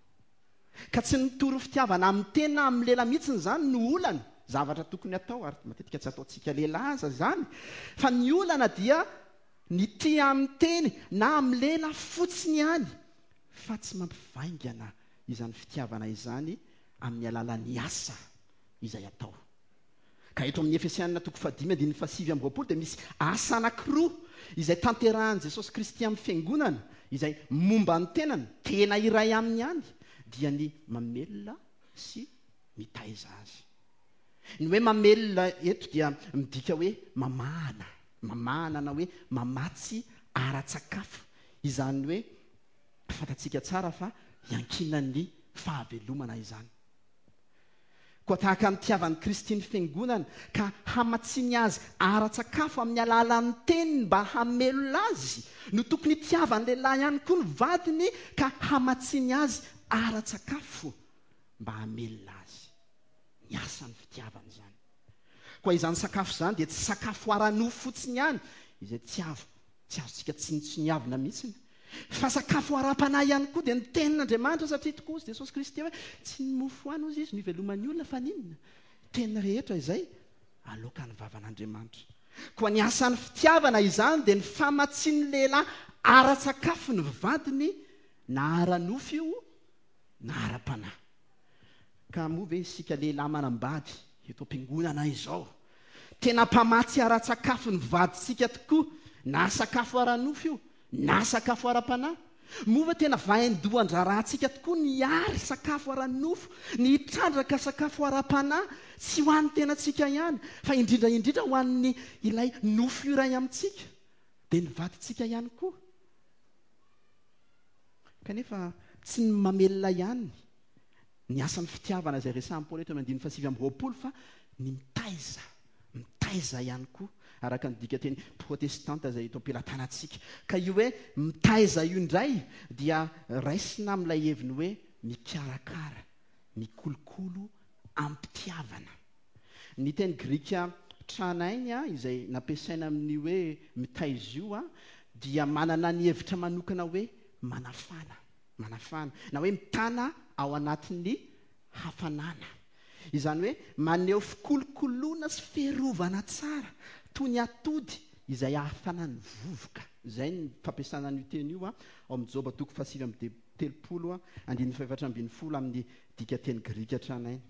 Ka tsy nitory fitiavana amin'ny tena amin'ny lela mihitsy izany no olana, zavatra tokony atao, ary matetika tsy ataontsika lehilahy aza izany, fa ny olana dia ny tia amin'ny teny na amin'ny lela fotsiny ihany, fa tsy mampivaingana izany fitiavana izany amin'ny alalan'ny asa izay atao. Ka eto amin'ny Efesianina toko fahadimy andininy fahasivy amby roapolo dia misy asa anankiroa izay tanterahan'i Jesosy Kristy amin'ny fiangonana, izay momba ny tenany, tena iray aminy ihany, dia ny mamelona sy mitaiza azy. Ny hoe mamelona eto dia midika hoe mamahana, mamahana na hoe mamatsy ara-tsakafo. Izany hoe fantatsika tsara fa iankinan'ny fahavelomana izany. Koa tahaka ny tiavan'i Kristy ny fiangonana ka hamatsiny azy ara-tsakafo amin'ny alalan'ny teniny mba hamelona azy, no tokony hitiavan'ny lehilahy ihany koa ny vadiny ka hamatsiny azy ara-tsakafo mba hamelona azy. Ny asan'ny fitiavana izany. Koa izany sakafo izany dia tsy sakafo ara-nofo fotsiny ihany, izay tsy avo, tsy azontsika tsinontsiniavina mihitsy, fa sakafo ara-panahy ihany koa dia ny tenin'Andriamanitra, satria tokoa hozy Jesosy Kristy hoe tsy ny mofo ihany hozy izy no iveloman'ny olona fa n'inona? Teny rehetra izay aloakan'ny vavan'Andriamanitra. Koa ny asan'ny fitiavana izany dia ny famatsian'ny lehilahy ara-tsakafo ny vadiny, na ara-nofo io na ara-panahy. Ka moa ve isika lehilahy manambady eto am-piangonana izao tena mpamatsy ara-tsakafo ny vadintsika tokoa, na sakafo ara-nofo io na sakafo ara-panahy? Moa va tena vaindohan-draharahantsika tokoa ny ary sakafo ara-nofo, ny hitrandraka sakafo ara-panahy, tsy ho an'ny tenantsika ihany, fa indrindra indrindra ho an'ny ilay nofo iray amintsika, dia ny vadintsika ihany koa? Kanefa tsy ny mamelona ihany ny asan'ny fitiavana izay resahin'i Paoly eto amin'ny andininy fahasivy amby roapolo, fa ny mitaiza, mitaiza ihany koa, araka ny dikateny protestanta izay eto am-pelatanantsika. Ka io hoe mitaiza io indray dia raisina amin'ilay heviny hoe mikarakara, mikolokolo am-pitiavana. Ny teny grika tranainy izay nampiasaina amin'ny hoe mitaiza io dia manana ny hevitra manokana hoe manafana, manafana, na hoe mitana ao anatin'ny hafanana. Izany hoe maneho fikolokoloana sy fiarovana tsara toy ny atody izay ahafanan'ny vovoka. Izay ny fampiasana an'io teny io ao amin'ny Joba toko fahasivy amby telopolo andininy fahefatra ambin'ny folo amin'ny dikateny grika tranainy.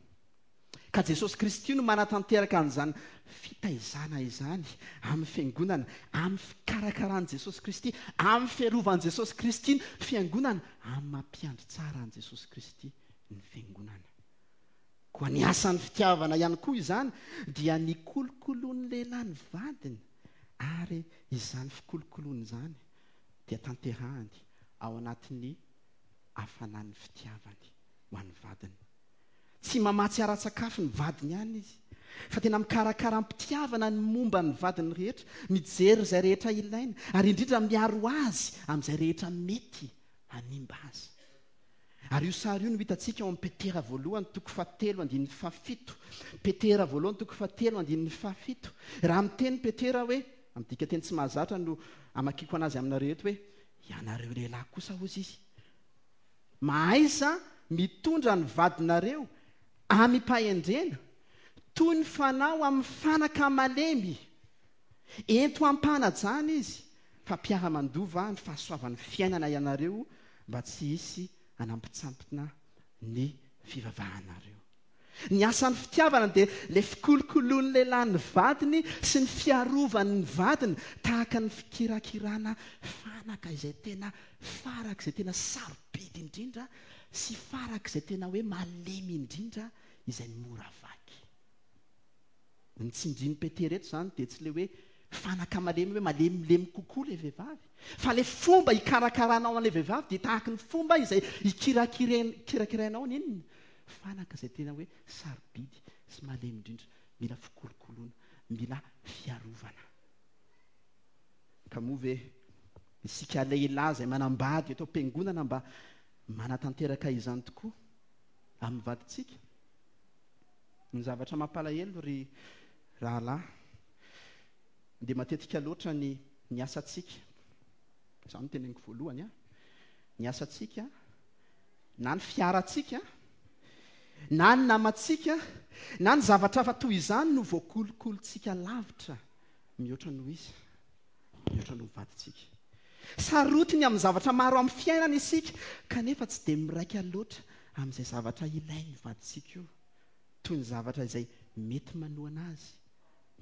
Ka Jesosy Kristy no manatanteraka an'izany fitaizana izany amin'ny fiangonana, amin'ny fikarakaran'i Jesosy Kristy, amin'ny fiarovan'i Jesosy Kristy ny fiangonana, amin'ny mampiandry tsara an'i Jesosy Kristy ny fiangonana. Koa ny asan'ny fitiavana ihany koa izany dia ny kolokoloan'ny lehilahy ny vadiny, ary izany fikolokoloana izany dia tanterahany ao anatin'ny hafanan'ny fitiavany ho an'ny vadiny. Tsy mamatsy ara-tsakafo ny vadiny ihany izy, fa tena mikarakara am-pitiavana ny momba ny vadiny rehetra, mijery izay rehetra ilaina, ary indrindra miaro azy amin'izay rehetra mety hanimba azy. Ary io sary io no hitantsika ao amin'ny Petera voalohany toko fahatelo andininy fahafito. Petera voalohany toko fahatelo andininy fahafito. Raha miteny Petera hoe, amin'ny dikateny tsy mahazatra no amakiko anazy aminareo eto hoe, ianareo lehilahy kosa hozy izy, mahaiza mitondra ny vadinareo amim-pahendrena, toy ny fanao amin'ny fanaka malemy. Ento ampanajana izy, fa mpiara-mandova ny fahasoavan'ny fiainana ianareo, mba tsy hisy anampitsampina ny fivavahanareo. Ny asan'ny fitiavana dia le fikolokoloan'ny lehilahy ny vadiny sy ny fiarovany ny vadiny, tahaka ny fikirakirana fanaka izay tena faraka, izay tena sarobidy indrindra sy faraka izay tena hoe malemy indrindra, izay mora vaky. Ny tsindrin'i Petera eto izany dia tsy le hoe fanaka malemy hoe malemilemy kokoa le vehivavy, fa le fomba hikarakaranao an'ilay vehivavy dia tahaka ny fomba izay hikirakirainao ny inona? Fanaka izay tena hoe sarobidy sy malemy indrindra, mila fikolokoloana, mila fiarovana. Ka moa ve isika lehilahy izay manambady eto am-piangonana mba manatanteraka izany tokoa amin'ny vadintsika? Ny zavatra mampalahelo ry rahalahy dia matetika loatra ny, ny asantsika, izany no teneniko voalohany, a, ny asantsika na ny fiarantsika na ny namantsika na ny zavatra hafa toy izany no voakolokolontsika lavitra mihoatra noho izy, mihoatra noho vadintsika. Sarotiny amin'ny zavatra maro amin'ny fiainana isika, kanefa tsy dia miraika loatra amin'izay zavatra ilain'ny vadintsika io, toy ny zavatra izay mety manohana azy,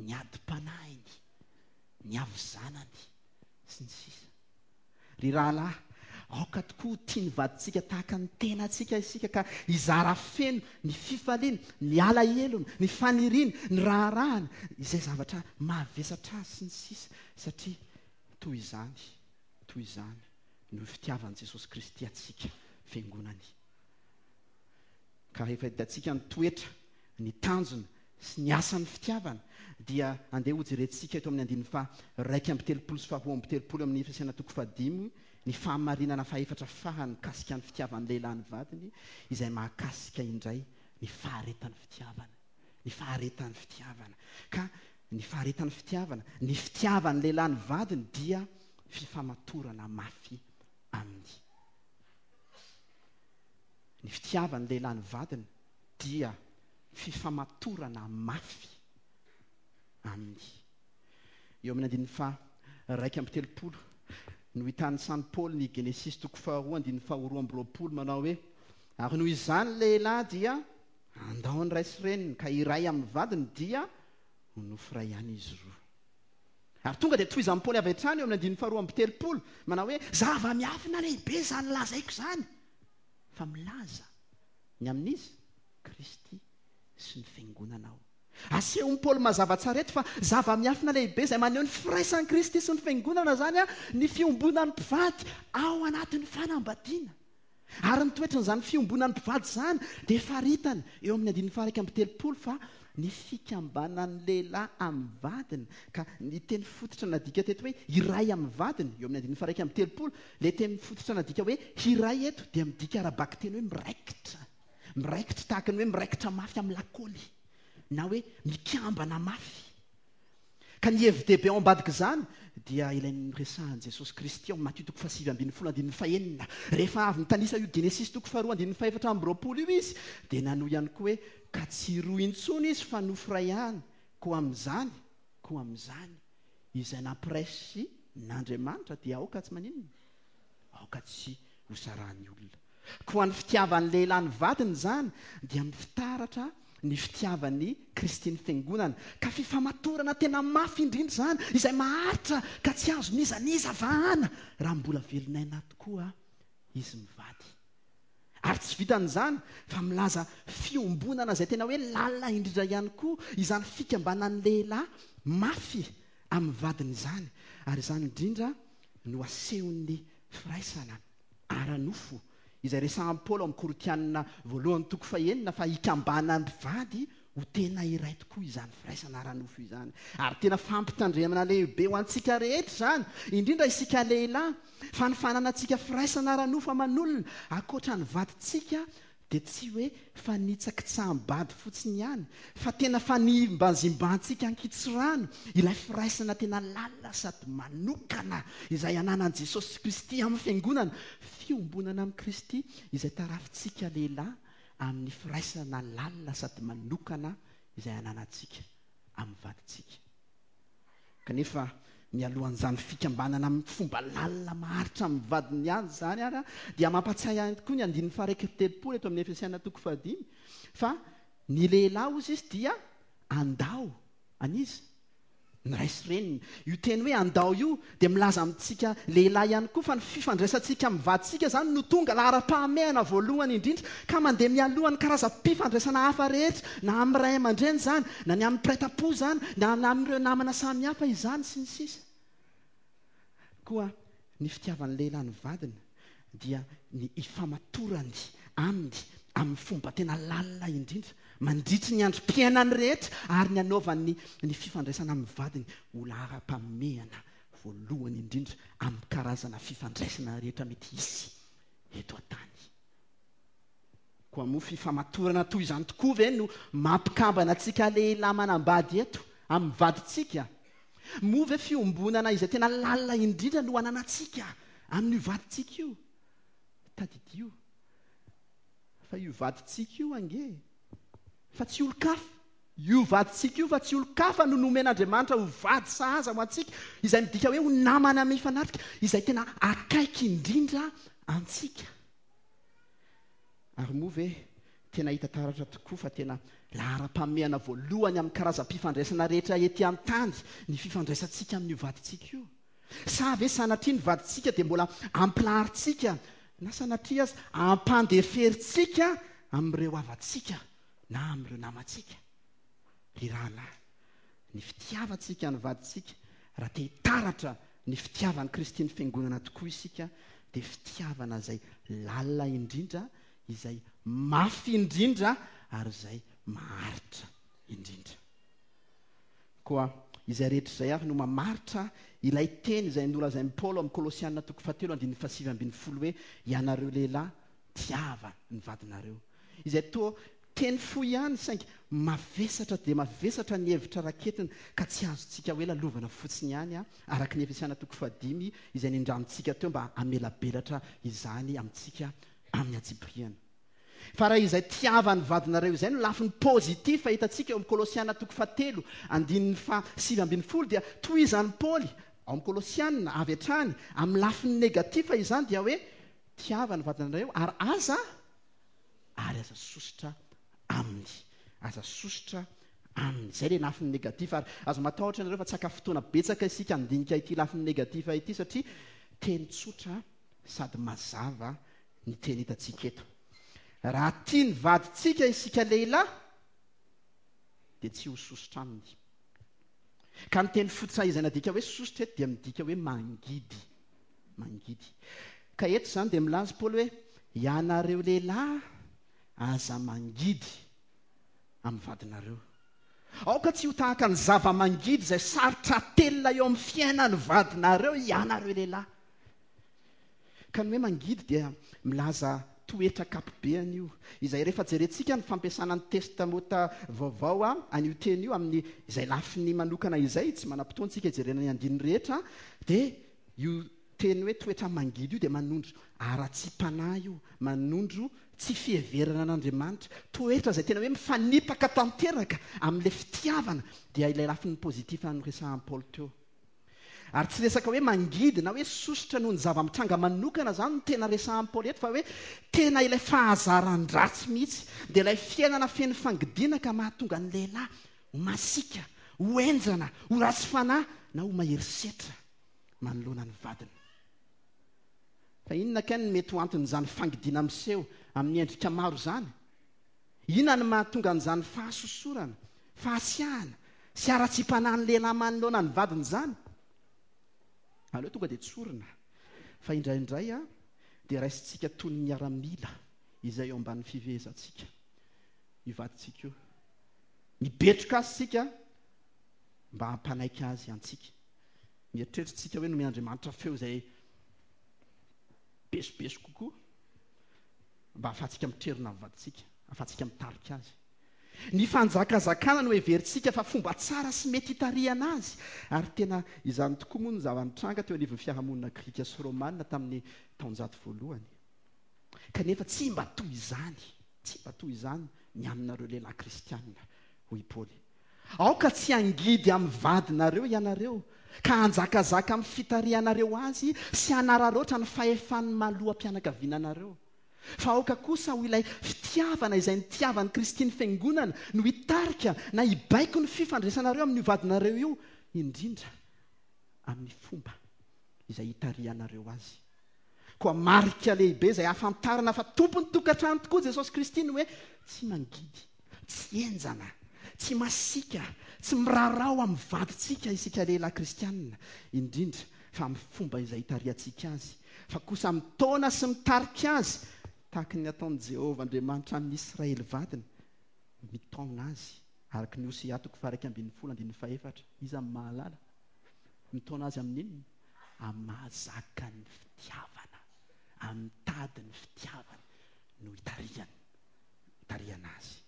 ny adim-panahiny, ny havizanany sy ny sisa. Ry rahalahy, aoka tokoa tia ny vadintsika tahaka ny tenantsika isika, ka hizara feno ny fifaliana, ny alahelony, ny faniriany, ny raharahany, izay zavatra mahavesatra azy sy ny sisa, satria toy izany, toy izany no fitiavan'i Jesosy Kristy antsika fiangonany. Ka rehefa hitantsika ny toetra, ny tanjona sy ny asan'ny fitiavana, dia andeha hojerentsika eto amin'ny andininy faha iraika amby telopolo sy faharoa amby telopolo amin'ny Efesiana toko fahadimy ny fahamarinana fahefatra farany mikasika ny fitiavan'ny lehilahy ny vadiny, izay mahakasika indray ny faharetan'ny fitiavana. Ny faharetan'ny fitiavana. Ka ny faharetan'ny fitiavana, ny fitiavan'ny lehilahy ny vadiny dia fifamatorana mafy aminy. Ny fitiavan'ny lehilahy ny vadiny dia fifamatorana mafy aminy. Eo amin'ny andininy faha iraika amby telopolo no hitanisan'i Paoly ny Genesisy toko faharoa andininy faharoa amby roapolo manao hoe: ary noho izany lehilahy dia andao ny ray sy reniny ka iray amin'ny vadiny dia ho nofo iray ihany izy roa. Ary tonga dia tohizan'i Paoly avy hatrany eo amin'ny andininy faharoa amby telopolo manao hoe: zava-miafina lehibe izany lazaiko izany, fa milaza ny amin'izy Kristy sy ny fiangonana aho. Asehon'i Paoly mazava tsara eto fa zava-miafina lehibe izay maneho ny firaisan'i Kristy sy ny fiangonana izany ny fiombonan'ny mpivady ao anatin'ny fanambadiana. Ary ny toetran'izany fiombonan'ny mpivady izany dia faritany eo amin'ny andininy faha iraika amby telopolo fa ny fikambanan'ny lehilahy amin'ny vadiny, ka ny teny fototra nadika teto hoe iray amin'ny vadiny eo amin'ny andininy faha iraika amby telopolo, ilay teny fototra nadika hoe hiray eto dia midika ara-bakiteny hoe miraikitra, miraikitra tahaka ny hoe miraikitra mafy amin'ny lakaoly na hoe mikambana mafy. Ka ny hevi-dehibe ao ambadik'izany dia ilay niresahan'i Jesosy Kristy ao Matio toko fahasivy ambin'ny folo andininy fahenina. Rehefa avy nitanisa io Genesisy toko faharoa andininy fahefatra amby roapolo io izy dia nanohy ihany koa hoe: ka tsy roa intsony izy fa nofo iray ihany, koa amin'izany, koa amin'izany izay nampiraisin'Andriamanitra dia aoka tsy maninona, aoka tsy hosarahan'ny olona. Koa ny fitiavan'ny lehilahy ny vadiny izany dia mifitaratra ny fitiavan'i Kristy ny fiangonana, ka fifamatorana tena mafy indrindra izany izay maharitra ka tsy azo n'iza n'iza vahana raha mbola velon'aina tokoa izy mivady. Ary tsy vitan'izany fa milaza fiombonana izay tena hoe lalina indrindra ihany koa izany fikambanan'ny lehilahy mafy amin'ny vadiny izany. Ary izany indrindra no asehon'ny firaisana ara-nofo izay resahan'i Paoly ao amin'ny Korintianina voalohany toko fahenina fa hikambanan'ny mpivady ho tena iray tokoa izany firaisana ara-nofo izany. Ary tena fampitandremana lehibe ho antsika rehetra izany, indrindra isika lehilahy, fa ny fananantsika firaisana ara-nofo aman'olona ankoatra ny vadintsika dia tsy hoe fanitsakitsaham-bady fotsiny ihany, fa tena fanimbazimbantsika ankitsirano ilay firaisana tena lalina sady manokana izay ananan'i Jesosy Kristy amin'ny fiangonana, fiombonana amin'i Kristy izay tarafintsika lehilahy amin'ny firaisana lalina sady manokana izay ananantsika amin'ny vadintsika. Kanefa mialohan'izany fikambanana amin'ny fomba lalina maharitra amin'ny vadiny ihany izany ary dia mampatsiahy ihany koa ny andininy faha iraika amby telopolo eto amin'ny Efesiana toko fahadimy fa ny lehilahy hozy izy dia andao an'iza? Ny ray sy reniny. Io teny hoe andao io dia milaza amintsika lehilahy ihany koa fa ny fifandraisantsika amin'ny vadintsika izany no tonga laharam-pahamehana voalohany indrindra ka mandeha mialohan'ny karazam-pifandraisana hafa rehetra, na amin'ny ray aman-dreny izany, na ny amin'ny mpiray-tampo izany, na amin'ireo namana samihafa izany sy ny sisa. Koa ny fitiavan'ny lehilahy ny vadiny dia ny ifamatorany aminy amin'ny fomba tena lalina indrindra mandritry ny androm-piainany rehetra ary ny anaovany ny fifandraisana amin'ny vadiny ho laharam-pahamehana voalohany indrindra amin'ny karazana fifandraisana rehetra mety hisy eto an-tany. Koa moa fifamatorana toy izany tokoa ve no mampikambana antsika lehilahy manambady eto amin'ny vadintsika? Moa ve fiombonana izay tena lalina indrindra no ananantsika amin'io vadintsika io? Tadidio fa io vadintsika io ange fa tsy olon-kafa. Io vadintsika io fa tsy olon-kafa no nomen'Andriamanitra ho vady sahaza ho antsika, izay midika hoe ho namana mifanatrika, izay tena akaiky indrindra antsika. Ary moa ve tena hita taratra tokoa fa tena laharam-pahamehana voalohany amin'ny karazam-pifandraisana rehetra ety an-tany ny fifandraisantsika amin'io vadintsika io? Sa ve sanatria ny vadintsika dia mbola ampilaharintsika na sanatria aza ampandeferintsika amin'ireo havantsika na amin'ireo namantsika? Ry rahalahy, ny fitiavantsika ny vadintsika, raha te hitaratra ny fitiavan'i Kristy ny fiangonana tokoa isika, dia fitiavana izay lalina indrindra, izay mafy indrindra ary izay maharitra indrindra. Koa izay rehetra izay ary no mamaritra ilay teny izay nolazain'i Paoly amin'ny Kolosiana toko fahatelo andininy fahasivy ambin'ny folo hoe ianareo lehilahy tiava ny vadinareo. Izay toa teny fohy ihany saingy mavesatra dia mavesatra ny hevitra raketina ka tsy azontsika hoe lalovana fotsiny ihany araka ny Efesiana toko fahadimy izay nindramintsika teo mba hamelabelatra izany amintsika amin'ny antsipiriany. Fa raha izay tiavan'ny vadinareo izay no lafiny positif hitantsika eo amin'ny Kolosiana toko fahatelo andininy fahasivy ambin'ny folo, dia tohizan'i Paoly ao amin'ny Kolosiana avy hatrany amin'ny lafiny négatif izany, dia hoe tiavan'ny vadinareo ary aza ary aza sosotra aminy, aza sosotra aminy. Izay ilay lafiny négatif. Ary aza matahotra ianareo fa tsy haka fotoana betsaka isika handinika ity lafiny négatif ity, satria teny tsotra sady mazava ny teny hitantsika eto. Raha tia ny vadintsika isika lehilahy dia tsy ho sosotra aminy. Ka ny teny fototra izay nadika hoe sosotra eto dia midika hoe mangidy, mangidy. Ka eto izany dia milaza Paoly hoe ianareo lehilahy aza mangidy amin'ny vadinareo. Aoka tsy ho tahaka ny zava-mangidy izay sarotra atelina eo amin'ny fiainan'ny vadinareo ianareo lehilahy. Ka ny hoe mangidy dia milaza toetra ankapobeany io, izay rehefa jerentsika ny fampiasana ny Testamenta Vaovao an'io teny io amin'ny izay lafiny manokana izay, tsy manam-potoana isika hijerena ny andininy rehetra, dia io teny hoe toetra mangidy io dia manondro haratsiam-panahy io, manondro tsy fiheverana an'Andriamanitra, toetra izay tena hoe mifanipaka tanteraka amin'ilay fitiavana, dia ilay lafiny positif noresahan'i Paoly teo. Ary tsy resaka hoe mangidy na hoe sosotra noho ny zava-mitranga manokana izany no tena resahan'i Paoly eto, fa hoe tena ilay fahazaran-dratsy mihitsy, dia ilay fiainana feno fangidiana ka mahatonga ny lehilahy ho masiaka, ho henjana, ho ratsy fanahy na ho mahery setra manoloana ny vadiny. Fa inona kay no mety ho anton'izany fangidiana miseho amin'ny endrika maro izany? Inona no mahatonga an'izany fahasosorana, fahasiahana sy haratsiam-panahin'ny lehilahy manoloana ny vadiny izany? Aleo tonga dia tsorina fa indraindray a dia raisintsika toy ny miaramila izay eo ambanin'ny fifehezantsika io vadintsika io. Mibetroka azy isika mba hampanaiky azy antsika. Mieritreritra isika hoe nomen'Andriamanitra feo izay besobeso kokoa mba hahafahantsika mitrerona ny vadintsika, hahafahantsika mitarika azy. Ny fanjakazakana no heverintsika fa fomba tsara sy mety hitarihana azy. Ary tena izany tokoa moa no zava-nitranga teo anivon'ny fiarahamonina grika sy romana tamin'ny taonjato voalohany. Kanefa tsy mba toy izany, tsy mba toy izany ny aminareo lehilahy kristianina, hoy Paoly. Aoka tsy hangidy amin'ny vadinareo ianareo, ka hanjakazaka amin'ny fitarihanareo azy sy hanararaotra ny fahefan'ny maha-loham-pianakaviana anareo. Fa aoka kosa ho ilay fitiavana izay nitiavan'i Kristy ny fiangonana no hitarika na hibaiko ny fifandraisanareo amin'io vadinareo io, indrindra amin'ny fomba izay hitarihanareo azy. Koa marika lehibe izay ahafantarana fa tompon'ny tokantrano tokoa Jesosy Kristy ny hoe tsy mangidy, tsy henjana, tsy masiaka, tsy mirarao amin'ny vadintsika isika lehilahy kristianina, indrindra fa amin'ny fomba izay hitarihantsika azy, fa kosa mitaona sy mitarika azy tahaka ny ataon'i Jehovah Andriamanitra amin'ny Israely vadiny, mitaona azy araka ny Hosea toko faha-iraika ambin'ny folo andininy fahefatra. Iza no mahalala? Mitaona azy amin'inona? Amin'ny mahazaka ny fitiavana, amin'ny tady ny fitiavana no hitarihany, hitarihana azy.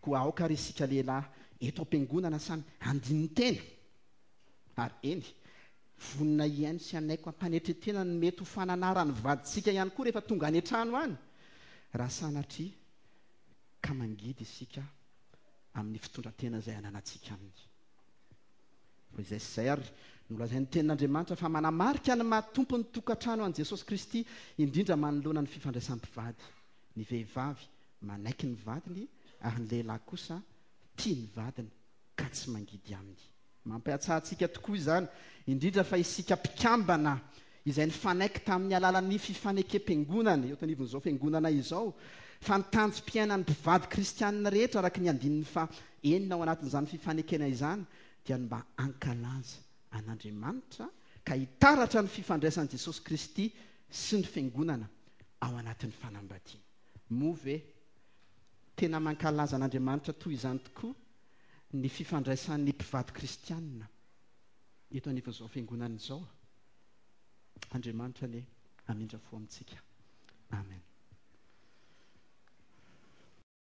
Koa aoka ary isika lehilahy eto am-piangonana samy handinin-tena, ary eny, vonona hihaino sy hanaiko am-panetren-tena ny mety ho fananaran'ny vadintsika ihany koa rehefa tonga any an-trano any, raha sanatria ka mangidy isika amin'ny fitondran-tena izay ananantsika aminy. Fa izay sy izay ary nolazain'ny tenin'Andriamanitra fa manamarika ny maha tompon'ny tokantrano an'i Jesosy Kristy, indrindra manoloana ny fifandraisan'ny mpivady. Ny vehivavy manaiky ny vadiny ary ny lehilahy kosa tia ny vadiny ka tsy mangidy aminy. Mampihatsaha antsika tokoa izany, indrindra fa isika mpikambana izay nifanaiky tamin'ny alalan'ny fifanekem-piangonana eo anivon'izao fiangonana izao, fa ny tanjom-piainan'ny mpivady kristianina rehetra araka ny andininy faha enina ao anatin'izany fifanekena izany dia ny mba hankalaza an'Andriamanitra ka hitaratra ny fifandraisan'i Jesosy Kristy sy ny fiangonana ao anatin'ny fanambadiana. Moa ve tena mankalaza an'Andriamanitra toy izany tokoa ny fifandraisan'ny mpivady kristianina eto anivon'izao fiangonana izao? Andriamanitra anie hamindra fo amintsika.